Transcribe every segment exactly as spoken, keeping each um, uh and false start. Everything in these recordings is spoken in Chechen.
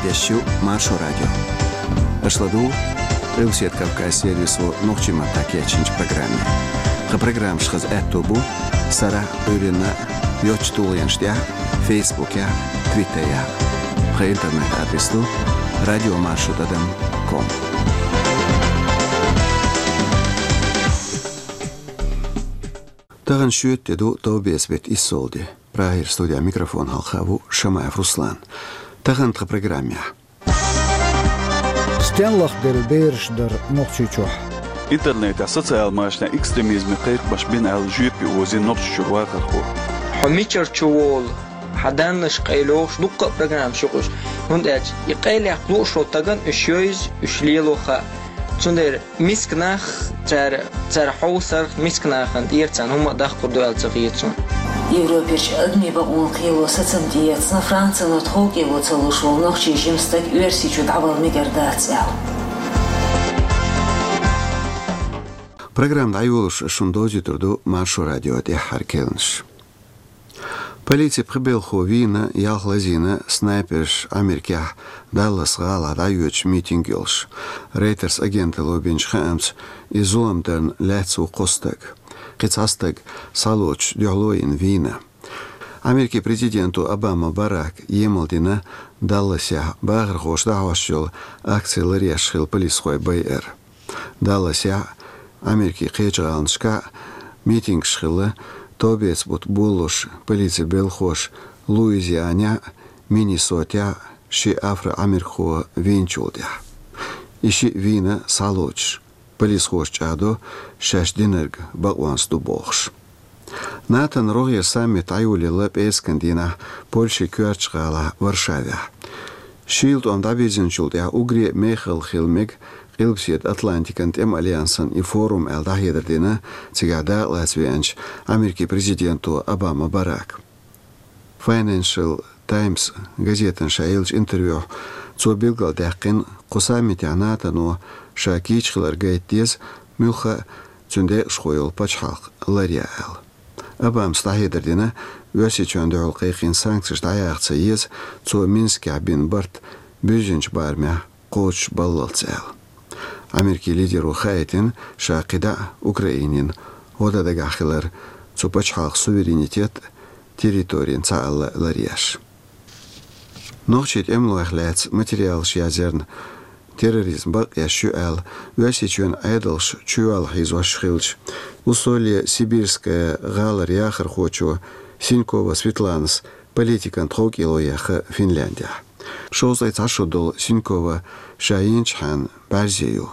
Эфирехь ю Маршо радио. Аша ладугӀу Къилбаседа Кавказ сервисо нохчийн маттахь кечйинчу программе. Тхан программаш хаза аьтто бу сарахь а, Ӏуьйранна а йоцачу тулгӀенаш тӀехь а, Фейсбукехь а, Твиттерехь а. Тхан интернет-адрес ду радиомаршо тӀадам ком. Тахана шоьтан де ду, товбеца беттан иссалгӀа де. Прагера студехь микрофон хьалха ву Шамаев Руслан. Тахана тхан программехь: стенна лахделла бераш дара Нохчийчохь? Интернетехь, социал машанехь экстремизме кхайкхамаш бина аьлла жоьпе озийна Нохчийчуьра вахархо. Хьо мичара чу волу, хьан даннаш къайлойхуш, дуккха а программаш ю-кх уьш. ХӀунда аьлча и къайлаяккха лууш волу стагана уьш йовза, уьш лело хаьа. Цундела миска нах, цара, цара хьовсарх миска нахана тӀера царна хӀумма а даккхур ду аьлла ца хета суна. Европерчу адамийн бакъонан кхело сацам тӀеэцна, Францино тховкӀело ца луш волу нохчийн жима стаг Оьрсийчу дӀавала мегар дац аьлла. Программа дӀайолош шуна довзуьйтур ду Маршо радион тӀаьххьара керланаш. Полицин пхи белхахо вийна, ялх лазийна снайперша Ӏамеркехь Даллас гӀалахь дӀайоьдуш митинг йолуш. Рейтерс агенталло бинчу хаамца, и зулам дарна лаьцна ву кхо стаг. Кхин цхьа стаг схьалоцуш дуьхьало йина вийна. Америкин президенто Обама Барака емал дина Далласехь бахархоша дӀахьош йолу акци ларъеш хилла полисхой байар. Далласехь а, Америкин кхечу гӀаланашкахь а митингаш хилла, товбеца бутт болалуш полицин белхахоша Луизианехь а, Миннесотехь а ши афро-Ӏамеркахо вийначул тӀаьхьа. И шиъ вийна схьалоцуш, полисхоша чӀагӀдо шаьш динарг бакъонца ду бохуш. НАТОн рогӀера саммит дӀайолаелла пӀераскан дийнахь Польшин коьртачу гӀалахь Варшавехь. Шийла тӀом дӀабирзинчул тӀаьхьа уггаре а мехала хила мега Къилбаседа Атлантикан тӀеман альянсан и форум аьлла дӀахьедар дина цигахь дакъалаца веанчу Америкин президенто Обама Барака. Financial Times газетана ша еллачу интервьюхь цо билгалдаьккхина, кху саммитехь НАТОно ша кийча хилар гайта деза, муьлхха а цуьнан декъашхо йолу пачхьалкх ларъян аьлла. Обамас дӀахьедар дина, Оьрсийчоьнна дуьхьал кхайкхийна санкцеш дӀаяха ца еза, цо Минскехь бина барт буьззинчу барамехь кхочушбаллалц аьлла. Америкин лидеро хаийтина ша кхидӀа а Украинина гӀо дан дагахь хилар, цу пачхьалкхан суверенитет а, территорин цхьаалла а ларъеш. Нохчийн тӀемалойх лаьцна материалаш язъярна терроризм бакъъеш ю аьлла, Оьрсийчоьнан Ӏедалша чуйолла хьийзош хилча, Усолье-Сибирская гӀалара яхархочо Синькова Светланас политикан тховкӀело яьхна Финляндехь. Шовзткъе цхьа шо долу Синькова ша йинчхьана бӀаьрзе ю.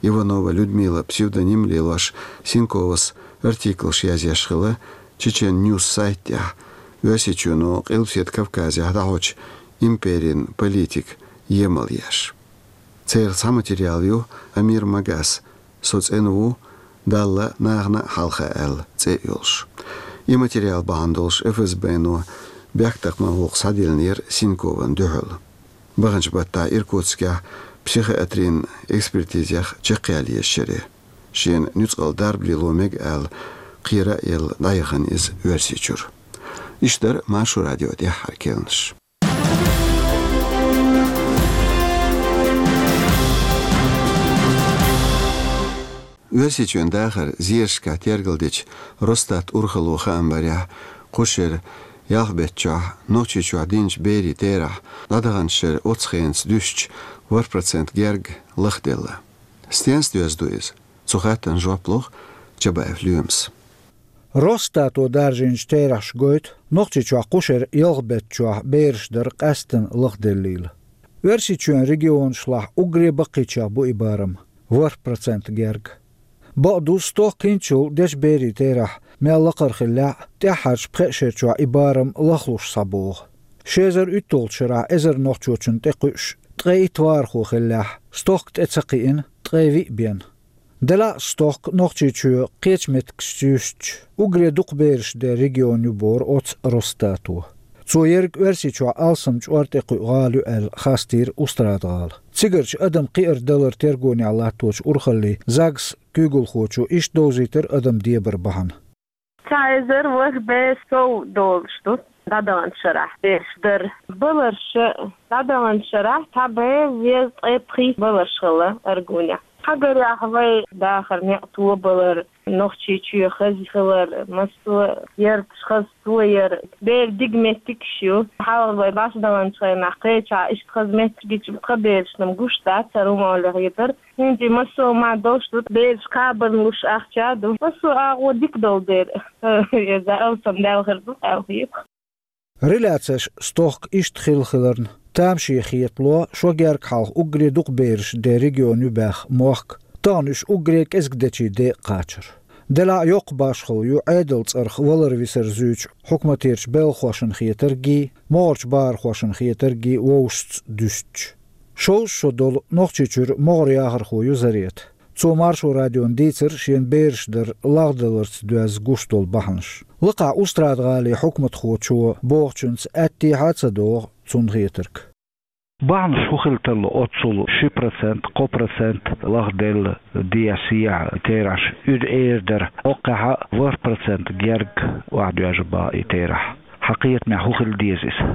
Иванова Людмила псевдоним лелош, Синьковас артиклаш язъеш хилла Чечен Ньюс сайтехь, Оьрсийчоьно Къилбаседа Кавказехь дӀахьочу империн политика емал еш. Церан цхьа материал ю Амир Магас, «Со цӀена ву, Далла нахана а хьалха» аьлла цӀе а йолуш. И материал бахьана долуш ФСБ-но бехктакхаман гӀуллакх схьадиллинера Синькован дуьхьал. Баханчу баттахь Иркутскехь психиатрин экспертизех чекхъяла еза шаре. Шена нуьцкъала дарба лело мега аьлла, кхера а елла, дӀаяхана иза Оьрсийчуьра. Иштта дара Маршо радион тӀаьххьара керланаш. Оьрсийчоьнан дахаран зерашкахь тергалдечу Росстат урхалло хаам барехь, кху шеран ялх беттачохь Нохчийчохь динчу берийн терахь дӀадаханчу шеран оццу хенаца дуьстича ворхӀ процент герга лахделла. Стенца доьзна ду иза? Цу хаттарна жоп лоху Чабаев Лоьмас. Росстато даржийначу терахьаша гойту, Нохчийчохь кху шеран ялх беттачохь бераш дара къаьсттина лахделлийла. Оьрсийчоьнан регионашлахь уггаре баккхийчех бу и барам, ворхӀ процент герга. Бакъду, стохка хӀинцачул дечу берийн терахь мел лакхара хиллехь а, тӀаьххьарчу пхеа шерчохь и барам лахлуш схьабогӀу. Ши эзар уьтталгӀачу шарахь эзар нохчочунна тӀекхуьуш, ткъе итт вахархо хиллехь, стохка тӀе ца кхиъна, ткъе виъ бен. Делахь а стохка Нохчийчоь кхечу меттигашца юьстича, уггаре дукха бераш ден регион ю боху оцу Росстато. Цо ерриг Оьрсийчохь алсам чкъор тӀекхуьу гӀала ю аьлла хастийра Устрада-гӀала. Цигарчу адам кхиар-далар тергонехь латточу урхаллин ЗАГС куьйгалхочо иштта довзийтира адам дебар бахьана. Цхьа эзар ворхӀ бен сов долуш ду. дӀадаханчу шарахь деш дара. Баларша дӀадаханчу шарахь цхьа бӀе везткъе пхийтта баларш хилла Аргунехь. Хьагарехь вай дахар некъ тобалар, Нохчийчоь хаза хилар, массо а ярташ хаза тояр, бер дика меттигаш ю. Хьалха вай бӀаьш даханчу хенахь кхечахь иштта хаза меттигаш тхан берашна гуш дац, хӀара хӀума олехь ю дара. ХӀинца массо а ма долуш ду, бераш кхабарна луш ахча а ду. Массо а агӀо дика долу дера. Иза алсам Дала хир ду, аьлла хета. Реляцеш стохка иштта хилла хиларна, тамаше хетало, шо герга хьалха уггаре дукха бераш ден регион ю баьхна мохк, тахана уьш уггаре кӀезиг дечийн декъа кхачар. Делахь а йоккха башхалла ю Ӏедал цӀарах валар-висар зуьйчу хьукматерчу белхахошна хетарггий, могӀарчу бахархошна хетарггий вовшашца дуьстича. Шовзткъа шо долу Нохчийчуьра могӀара яхархо ю Зарета. Цо Маршо радиона дийцира шена бераш дар лагӀдаларца доьзна гуш долу бахьанаш. Лакхахь Устрада-ГӀалин хьукматхочо бохучуьнца аьттехьа а ца догӀу цунна хетарг. Бахьанаш хӀун хила тарло оццул ши процент, кхо процент лагӀделла дехьа-сехьа терахьаш, уьдда эр дара, оккхахьа ворхӀ процент герга охьадоьжна баха и терахь. Хьан кхетамехь хӀун хила деза иза?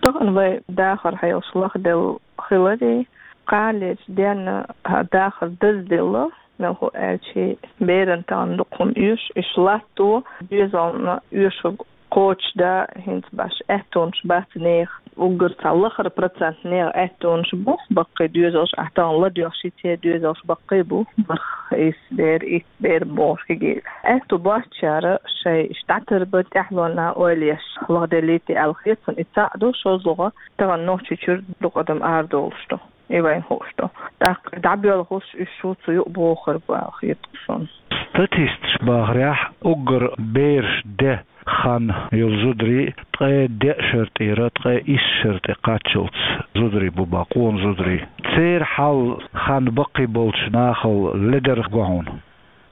Тахана вай дахар хьелаш лагӀделла хиларе, кхалечу денна хьан дахар дазделла, мел хӀу аьлча, беран тахана дукха хӀума оьшу, уьш латто, доьзална оьшург кхочушдан, хӀинца баш аьттонаш бац нехан. Уггар цхьа лахара процент нехан аьттонаш бу, баккхий доьзалш, ахь тахана ладоьгӀуш йицъян доьзалш баккхий бу, бархӀ, исс бер, итт бер бохуш хигийла. Аьтту боцчара шайн иштта дӀатарбан тӀаьхьалонна ойла еш лагӀделлийта аьлла хета суна, и цхьаъ ду, шозлагӀа тахана Нохчийчуьра дукха адам арадолуш ду. И вайна хууш ду. ТӀаккха дӀабоьлхуш уьш шу цу юкъа бохур бу аьлла хета суна. Статисташ бахарехь, уггар бераш ден хан йолу зударий ткъе деа шарахь тӀера ткъе исс шарахь тӀе кхаччалц зударий бу баха, къона зударий. Церан хьал хан баккхий болчу нахал ледара го хьуна?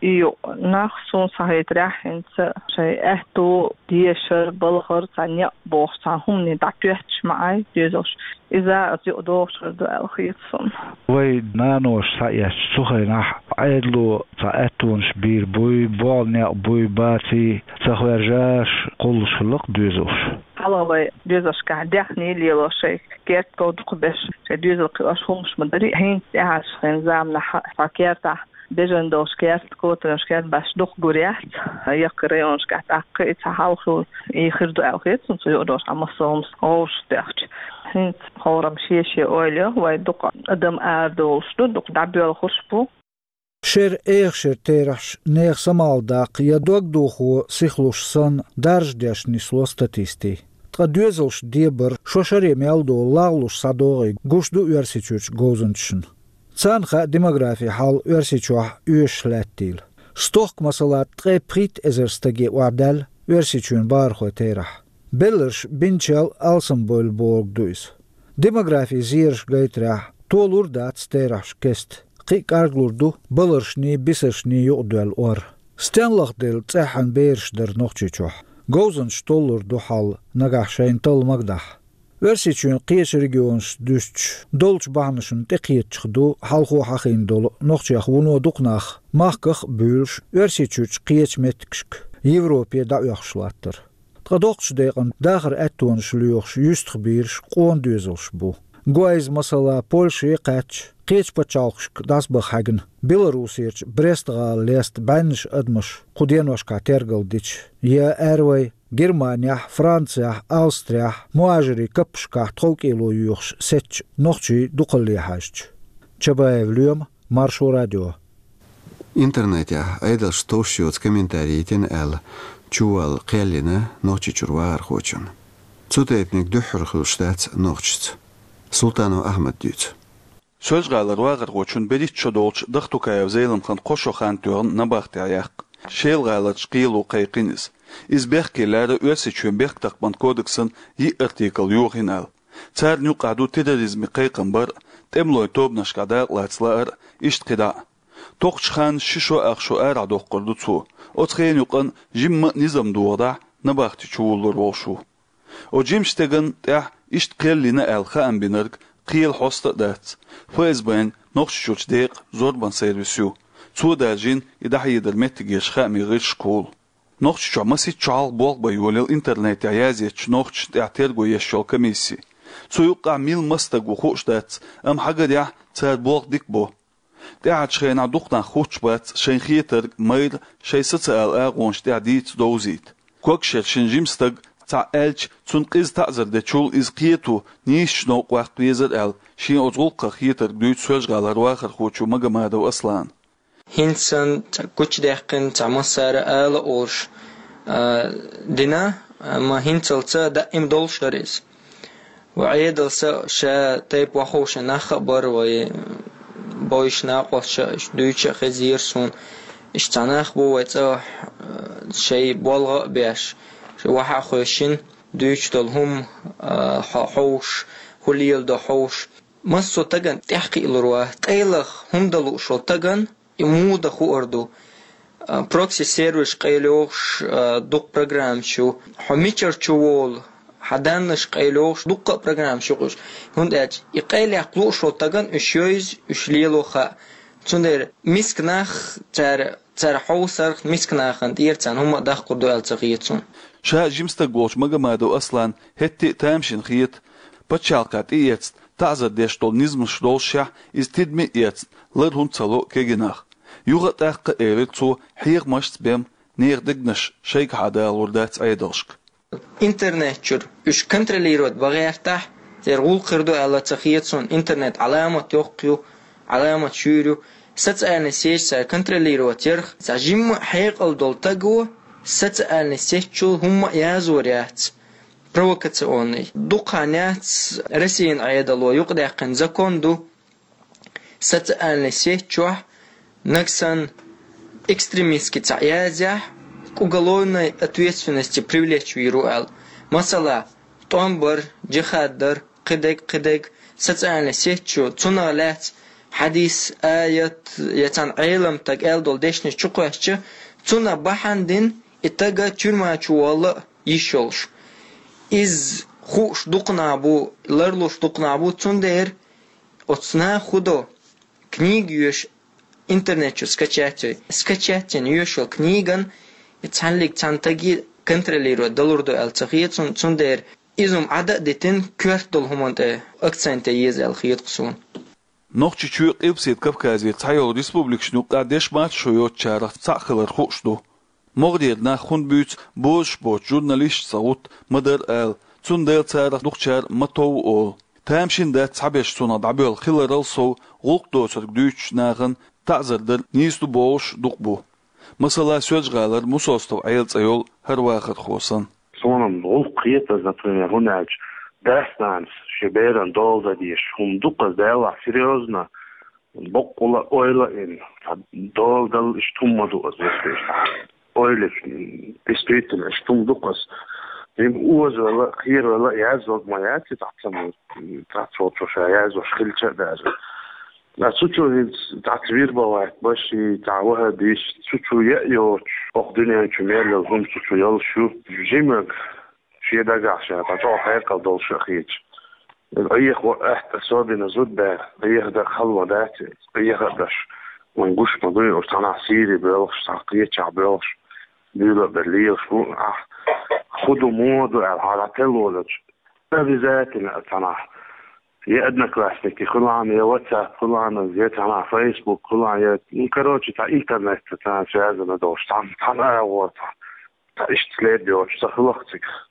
И юкъа нах суна схьахетарехь хӀинца шайн аьтту дешар, балхар, цхьа некъ бохуш цхьа хӀумане дӀатоьттуш ма Ӏай доьзалш. Иза а аса юкъа догӀуш хир ду аьлла хета суна. Вай наноша схьаэцча, цу хенахь Ӏедало цхьа аьттонаш бийр буй, болх, некъ буй, баций, ца хержаш кхуллуш хилла-кх доьзалш. Хьалха вай доьзалшкахь даьхний лело шайн керта ков дукхабеш, шайн доьзал кхиош хӀуманаш ма дарий, хӀинца тӀаьхьарчу хенан заманахь цхьа кертахь бежана долуш керт, котамаш керт баш дукха гур яц, яккхий районашкахь тӀаккха и цхьа хьал хилла, и хир ду аьлла хета суна, цу юкъа долуш хьан массо а хӀуманаш вовшахтоьхча. ХӀинца хӀораммо шен-шен ойла йо, вай дукха адам арадолуш ду, дукха дӀабоьлхуш бу. Шера, эха шера терахьаш нехан самаладаккха я дог дохо сихлуш санна, даржадеш нисло статистий. Ткъа доьзалш дебар шо шаре мел долу лагӀлуш схьадогӀий гуш ду Оьрсийчуьрчу говзанчашна. Царна хаьа демографин хьал Оьрсийчохь оьшуш лаьттийла. Стохка, масала, ткъе пхийтта эзар стаге охьадаьлла Оьрсийчоьнан бахархойн терахь. Белларш бинчел алсамбевлла бохург ду иза. Демографин зераш гайтарехь, толур дац терахьаш кеста. Кхин а кӀарглур ду баларшний, бисаршний юкъадоьлла ор. Стенна лагӀделла цӀеххьана бераш дар Нохчийчохь? Говзанчаш толлур ду хьал нагахь шайна талла магадахь. Оьрсийчоьнан кхечу регионашца дуьстича, долчу бахьанашна тӀекхетачух ду хьалхо хьахийна долу нохчех вуно дукха нах, махках а буьйлуш, Оьрсийчуьрчу кхечу меттигашка, Европе дӀаоьхуш латтар. Ткъа доккхачу декъана дахаран аьттонаш лоьхуш юьстахбийраш къона доьзалш бу. Го иза, масала, Польше кхаьчча, кхечу пачхьалкхашка дӀасабаха хьаьгна, Белоруссерчу Брест-гӀала леста бӀеннаш адамаш кху деношкахь тергал дича, я аьрру вай Германехь, Францехь, Австрехь мухӀажирийн каппашкахь тховкӀело йоьхуш сецначу нохчийн дукхалле хьаьжча. Чабаев Лоьма, Маршо радио. Интернетехь Ӏедалш товш йоцу комментарий йитина аьлла, чувалла кхел йина Нохчийчуьра вахархочунна. Цу тайпаниг дуьххьара хуьлуш дац нохчашца. Султанов Ахьмада дуьйцу. Соьлжа-ГӀалара вахархочун берхӀитта шо долчу Дахтукаев Зеламхана кхо шо хан тоьхна набахтехь яккха. Шела-ГӀаларчу кхело кхайкхина иза. Иза бехке лаьара Оьрсийчоьнан бехктакхаман кодексан йиъ артикл йохийна аьлла. Царна юкъахь ду терроризме кхайкхам бар а, тӀемалойн тобанашкахь дакъалаца лаар а, иштта кхидӀа а. Тоххачу ханна ши шо ах шо арахь доккхур ду цо. Оцу хенан юкъана жимма а низам дохадахь, набахти чувуллур волуш ву. Оцу жимачу стеган тӀехь иштта кхел йина аьлла хаам бинарг кхелан хьоста а дац. ФСБ-н Нохчийчуьрчу декъан зорбан сервис ю. Цо даржийна и дӀахьедар меттигерчу хаамийн гӀирсашкахула. Нохчийчохь масийтта шо хьалха болх бан йолаелла интернетехь язъечу нохчашна тӀехь терго еш йолу комисси. Цу юккъехь мила маса стаг ву хууш дац, амма хьагарехь, цара болх дика бо. ТӀаьхьарчу хенахь дукха нах хуттуш бац шайн хетарг майра шайн социалан агӀонаш тӀехь дийца, довзийта. Когашера шина жима стага цхьаъ аьлча, цунна къиза таӀзар дечул иза кхето, нийсачу новкъа ваккха везара аьлла, шен оцу гӀуллакхах хетарг дуьйцу Соьлжа-ГӀалара вахархочо Магомадов Аслана. ХӀинца санна цхьа гучудаьккхина, цхьа массара ала олуш, а, дина, амма хӀинцалца даим долуш дара иза. Ва Ӏедал сан ша тайпа ваховши нах а бара, вай бовзуш накъосташа, уьш дуьйцуш а хезира суна. Уьш цхьа нах бу вай цӀа, а, шайн болх а беш, шайн вахьа а хевшина, дуьйцуш долу хӀума, а, хьо-, хьовсуш, хӀун леладо хьовсуш. Массо а стагана тӀаьхьакхиалур вац, къайлаха хӀума дан лууш волу стагана и муха дан хуур ду. А, прокси-сервисаш къайлайохуш, а, дукха программаш ю. Хьо мичара чу волу, хьан даннаш къайлайохуш, дуккха а программаш ю кхуьш. ХӀунда аьлча и къайлаяккха лууш волу стагана уьш йовза, уьш лело хаьа. Цундела миска нах, цара, цара хьовсарх миска нахана тӀера царна хӀумма а даккхур ду аьлла ца хета суна. Ша жима стаг волчу Магомадов Аслана хӀетте а тамашийна хета. Пачхьалкхехь тӀеэцна, таӀзар деш долу низамаш доллушехь, иза тидаме а эцна, лар хӀунда ца ло кегий нах. Юха а тӀаккха, элира цо, хьехамашца бен, нехан дегнаш шайгахьа далалур дац Ӏедалшка. Интернет чуьра уьш контролировать бан гӀертахь, церан гӀуллакх хир ду аьлла ца хета суна, интернет Ӏаламат йоккха ю, Ӏаламат шуьйра ю. Социальный сеть цара контролировать ярх, цхьа жимма а хьекъал долу стага социальный сеть чуьра хӀумма а язор яц. Провокационный. Дукха хан яц Россин Ӏедало юкъадаьккхина закон ду, социальный сеть чохь нагахь санна экстремистский цхьаъ язъяхь, к уголовной ответственности привлечь вийр ву аьлла. Масала, тӀом бар, джихад дар, кхидерг, кхидерг, социальный сеть чу цунах лаьцна хьадис, аят, я цхьана Ӏелам стага аьлла долу дешнаш чу кхоьссича, цунах бахьана дина и стаг тюрьма чу вала а йиш йолуш. Иза хууш дукха нах бу, ларлуш дукха нах бу, цундела оцу наха хӀун до, книга йоьшу интернет чу скачать йой. Скачать йина йоьшуш йолу книган и цхьаьнниг цхьана стаге контролировать далур ду аьлла ца хета суна, цундела иза хӀума Ӏада а дитина, коьрта долу хӀуманна тӀе акцент ян еза аьлла хета-кх суна. Нохчийчоь а, Къилбаседа Кавказера цхьайолу республикашна юккъехь дешмаца шо йоцучарах цхьаъ хилар хууш ду. МогӀарера нах хӀунда буьйцу бозуш боцу журналисташца гӀутта ма-дарра ала, цундела царах дукхачара ма-тов олу. Тамашийна дац цхьаберш цунах дӀабоьлла хиларал сов, гӀуллакх доцург дуьйцучу нахана таӀзар дар нийса ду бохуш дукха бу. Масала, Соьлжа-ГӀалара Мусостов Ӏела цӀе йолу хӀара вахархо санна. Суна-м гӀуллакх хета иза, например, хӀунда аьлча дас-нанас шен беран дола дан дезаш хӀума ду-кх иза, делахь серьёзно, боккъала ойла а йина, цхьа дола дала иштта хӀума ма ду иза, вуьшта иштта. Ойла, м, действительно, иштта хӀума ду-кх иза. Жима озавала а, кхеравала а язйорг ма яц и, цхьацца ма, м, цхьацца волчо ша язйош хилча а даже. Ткъа цу чу хӀинца цхьацца вирбовать беш, цхьа ваххабисташ, цу чу яа йоцуш, хӀокху дуьнен чу мел йолу хӀума цу чу йолуш ю. Жимарг шен дагахь ша цхьа чӀогӀа хьекъал долуш а хеташ. Къеха ван аьтта, особенно зудбаьр, къеха дан хала ма дац, къеха а деш, вайн гуш ма дуй, уьш цхьанхьа Сири боьлхуш, цхьа кхечахь боьлхуш, буьйлабер лелаш бу, ахь хӀун ду, муха ду аьлла, хьан дӀателла волчу, обязательно цхьанхьа я Одноклассники хуьлу, я WhatsApp хуьлу, я цхьанхьа Facebook хуьлу, я, ну, короче, цхьа интернетца цхьана связано долуш, цхьана, цхьана агӀор, цхьа, цхьа иштта след йоцуш ца хуьлу-кх цигахь.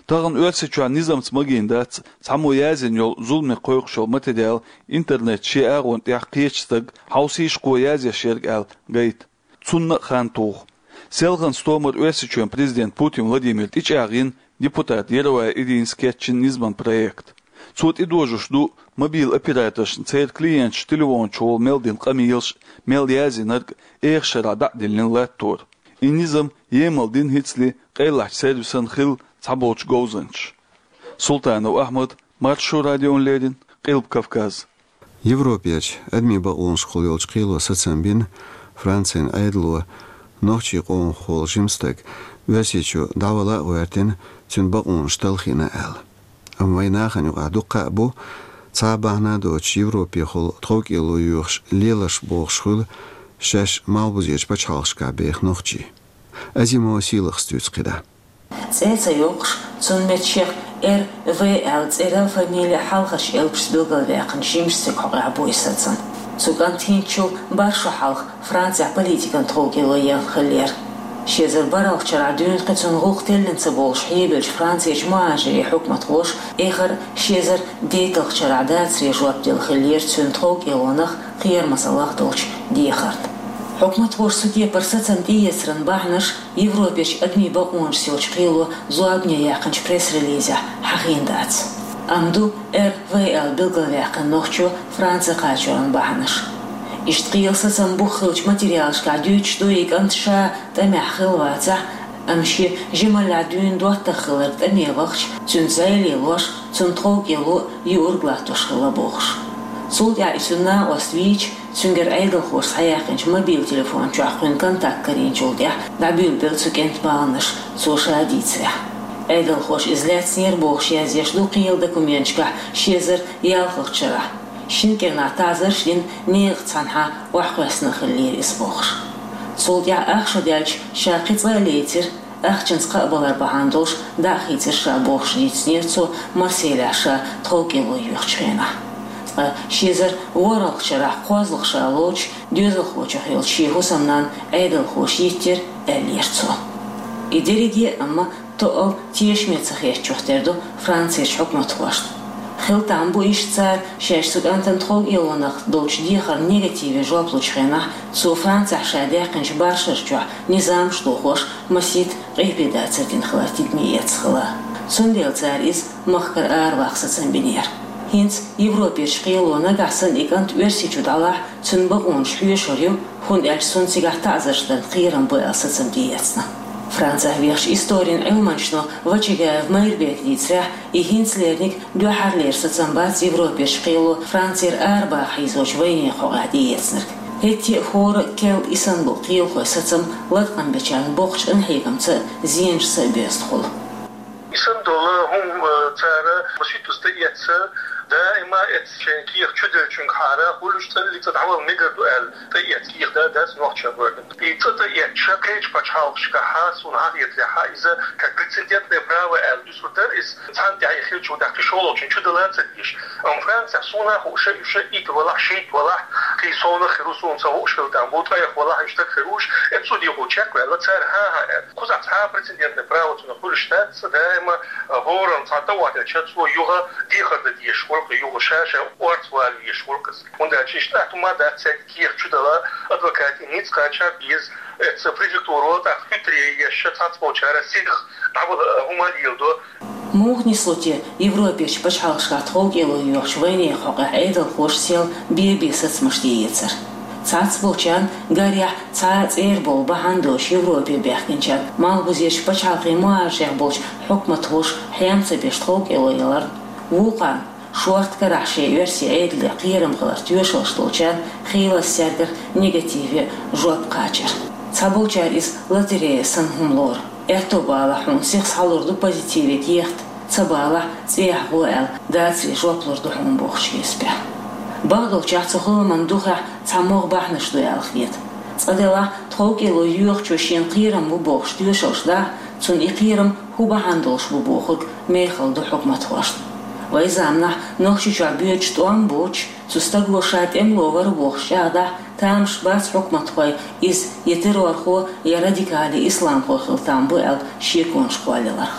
Тахана Оьрсийчохь низамца магийна дац цхьаммо язйина йолу зуламе кхойкхуш йолу материал интернет шен агӀонна тӀехь кхечу стага хьовсийша кхо язъеш ерг аьлла гайта. Цунна а хан туху. Селхана стомара Оьрсийчоьнан президент Путин Владимир тӀечӀагӀйина депутат Яровая Иринас кечйина низаман проект. Цо тӀедожош ду мобил операторшна церан клиенташ телефонаш чухула мел дина къамелаш, мел язйинарг а, эха шарахь дӀа а диллина латтор. И низам емал дина хӀинцале къайлахчу сервисан хилла цхьаболчу говзанчаша. Султанов Ахьмад, Маршо радиона леррина, Къилба Кавказ. Европерчу адамийн бакъонашкахула йолчу кхело сацам бина, Францин Ӏедало нохчийн къомах волу жима стаг Оьрсийчу дӀавала а гӀоьртина, цуьнан бакъонаш талхийна аьлла. Амма вайн нахана юкъахь дуккха а бу, цхьа а бахьана доцуш, Европехула тховкӀело йоьхуш лелаш бохуш хуьлу шаьш малхбузерчу пачхьалкхашкахь беха нохчий. Азимова Сийлахас дуьйцу кхидӀа. ЦӀе ца йоккхуш, цунна метташех Р В аьлла цӀерал, фамилиял хьалхарчу элпашца билгалваьккхинчу жимачу стеган хьокъехь бу и сацам. Цу кӀанта хӀинцачул бархӀ шо хьалха Францехь политикан тховкӀело яьлла хиллера. Ши эзар бархӀалгӀачу шарахь дуьйна кхин цунна гӀуллакх теллина ца болуш хьебеллачу Францерчу мухӀажирийн хьукматхоша эххар ши эзар дейтталгӀачу шарахь дацаре жоп делла хиллера цуьнан тховкӀелонах, кхерамазаллах долчу дехарна. Хьукматхоша цу кепара сацам тӀеэцаран бахьанаш Европерчу адамийн бакъонашца йолчу кхело зорбане яьккхинчу пресс-релизехь хьахийна дац. Амма ду Р В аьлла билгалваьккхина нохчо Франце кхачоран бахьанаш. Иштта кхелан сацаман бух хиллачу материалашкахь дуьйцуш ду и кӀант ша тӀамехь хилла вацахь, амма шен жималлехь дуьйна доттагӀа хилларг тӀаме вахча, цуьнца зӀе лелош, цунна тховкӀело юург латтош хилла бохуш. Цул тӀаьхьа и цуьнан накъост вийча, цуьнгара Ӏедалхоша схьаяьккхинчу мобил телефон чохь кхуьнан контакт карийначул тӀаьхьа дӀабуьйлабелла цу кӀентан баланаш, цо ша дийцарехь. Ӏедалхоша иза лаьцнера бохуш язъеш ду кхелан документашкахь ши эзар ялхалгӀачу шарахь. Шина кӀирнахь таӀзарш дина, некъаца цхьаьнахьа охьакхоьссина хиллера иза бохуш. Цул тӀаьхьа ах шо даьлча ша кхин цкъа а лецира, ахчанца кхаъ балар бахьана долуш дӀа а хийцира ша бохуш дийцинера цо Марселехь ша тховкӀело йоьхучу хенахь. Ткъа ши эзар ворхӀалгӀачу шарахь кхозлагӀа ша лоцуш доьзалхочух йолчу шен хӀусамнанна Ӏедалхоша йиттира аьллера цо. И дерриге а, амма тоъал тешаме ца хетачух тера ду Францерчу хьукматхошна. Хила там бу иштта цара шаьш цу кӀантана тховкӀелонах долчу дехарна негативе жоп лучу хенахь, цо Францехь ша даьккхинчу баршарчохь низамаш дохош масийтта къепедацар дина хилар тидаме эцна хила. Цундела цара иза махкара араваккха сацам бинера. ХӀинца Европерчу кхело нагахь санна и кӀант Оьрсийчу дӀалахь, цуьнан бакъонаш хьоьшур ю, хӀунда аьлча цунна цигахь таӀзарш дарна кхерам бу аьлла сацам тӀеэцна. Францехь вехачу историн Ӏилманчо Вачагаев Майрбека дийцарехь, и хӀинцалерниг дуьххьарлера сацам бац Европерчу кхело Францера арабаха хьийзочу вайнехан хьокъехь тӀеэцнарг. ХӀетте а хӀора а кел и санна болу кхелахойн сацам латкъам бечарна боккхачу къинхьегамца а, зенашца а боьзна хуьлу. И санна долу хӀума, э, цара масийтта тӀеэцна, даима эцна шайн кехат чуделлачуьнгахьара, хуьлуш цӀалли цӀа дӀавала мегар ду аьлла, тӀеэцна кехат да дац нохчийн гӀоьртан. И цӀа тӀеэцча, кхечу пачхьалкхашкахьа, суна хьахетарехьа, иза как прецедентное право аьлла дуьсур дара иза, цхьана тӀехь и хилча, дӀа кхин шолгӀачунна чудала ца дезаш. Амма Францехь суна хууш, уьш итт валахь, шийтта валахь, кхин совнах хир ву, суна ца хууш хила там бу, ткъех валахь, уьш стаг хир ву уьш, эцу судехула чекхваьлла, цара хьан-хьан аьлла. Кхузахь цхьа а прецедентное право цунах хуьлуш дац, даима, а, хӀоранна цхьа тӀе охьадиллича, цо юха дехар дан дезаш хуьлу-кх, юха ша-ша орца вала везаш хуьлу-кх иза. ХӀунда аьлча иштта атта хӀума дац цаьрга кехат чудала, адвокатийн ницкъ кхача а беза, эцу префектуро тӀаккха хӀуьттаре еш, цхьацболчара сиха дӀавала хӀума леладо. Муха нисло те Европерчу пачхьалкхашкахь тховкӀело йоьхучу вайнехан хьокъехь Ӏедалхоша сел бен-бен сацамаш тӀеэцар? Цхьацболчарна, гарехь, цхьа а цӀера болу бахьана доцуш Европе баьхкинчарна, малхбузерчу пачхьалкхийн мухӀажарех болчу хьукматхоша хьем ца беш тховкӀело яларна, вукхарна, шорта карахь шайн оьрсийн Ӏедале кхерам хиларх тоьшаллаш долчарна, хийлаза цаьргара негативе жоп кхачар. Цхьаболчара иза лотерея санна хӀума лору. Аьтто балахь, хьуна сиха схьалур ду позитиве кехат, ца балахь, цӀехьа гӀо аьлла, дацаре жоп лур ду хьуна бохучу хьесапехь. Бакъдолчехь, цу хиламан духехь цхьа могӀа бахьанаш ду аьлла хета. Цкъа делахь, тховкӀело йоьхучо шена кхерам бу бохуш тоьшаллаш дахь, цунна и кхерам хӀун бахьана долуш бу бохург мехала ду хьукматхошна. Вайн заманахь Нохчийчохь боьдуш тӀом боцуш, цу стаго ша тӀемало вара бохуш чӀагӀдахь, тамаш бац хьукматхойн иза я террорхо, я радикали исламхо хила там бу аьлла шеконаш кхоллаяларх.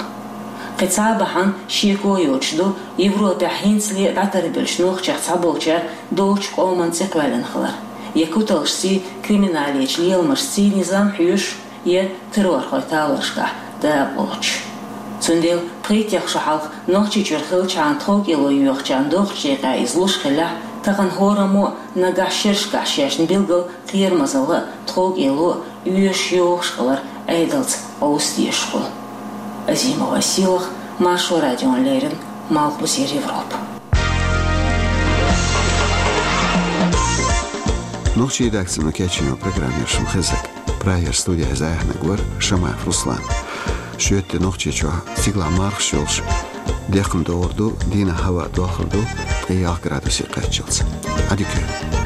Кхин цхьа а бахьана, шеко йоцуш ду, Европехь хӀинцале а дӀатарбеллачу нохчех цхьаболчара долчу къоман цӀе кхоьллина хилар, я куталшций, криминалечу леламашций низам хьоьшуш, я террорхойн талорашкахь дакъалоцуш. Цундела пхийттех шо хьалха Нохчийчуьра хиллачхьана тховкӀело йоьхучарна доккхачу декъехь иза луш хиллехь, тахана хӀораммо а нагахь шерашкахь шаьшна билггал кхерамазалла а, тховкӀело а оьшуш йохуш хилар Ӏедалца къовса дезаш хуьлу. Азимова Сийлаха, Маршо радиона леррина, Малхбузера Европа. Нохчийн редакцино кечйина программа яра шуна хезнарг. Прагера студехь иза айхьнарг вара Шамаев Руслан. Шоьтан де Нохчийчохь стигалахь мархаш йолуш, декхна догӀур ду, дийнахь хӀаваъ дохур ду ткъе ялх градусе кхаччалц. Ӏадика йойла.